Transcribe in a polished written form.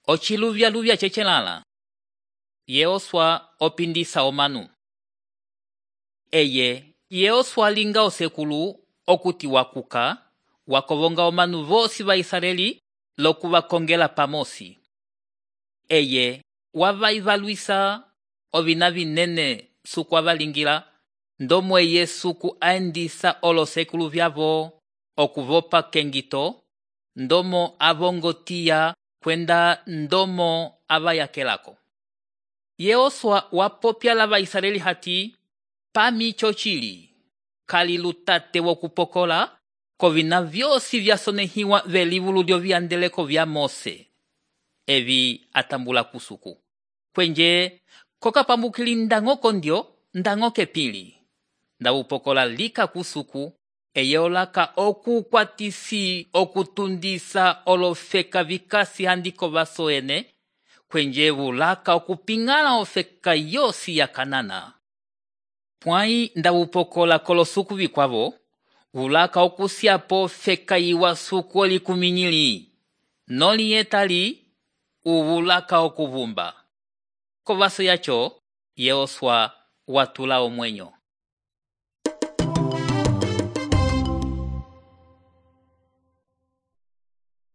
Ochiluvya chechelala. Yehosua opindisa omanu. Eye, Yehosua linga osekulu okuti wakuka, wakovonga omanu vosi va Israeli lokuvakongela pamosi. Eye, wavaivaluisa ovina vinene suku avalingila, ndomo eye suku aendisa olosekulu vyavo okuvopa kengito, ndomo avongotia kwenda ndomo avayakelako. Yehosua wapopya lava Israeli hati, pami chochili, kalilutate wokupokola, kovina vyosi vyasonehiwa velivulu lyoviandeleko vya Mose. Evi atambula kusuku. Kwenje, kokapambukili ndangoko ndio, ndangoke pili. Ndawupokola lika kusuku, eyeolaka okukwatisi okutundisa olofeka vikasi handiko vasoene, kwenje wulaka okupingala ofeka yosi ya Kanana. Pwai ndawupokola kolosuku vikwavo, wulaka okusiapo feka iwasuku olikuminyili, noli etali, uwulaka okuvumba. Kovaso yacho, Yehosua watula omwenyo.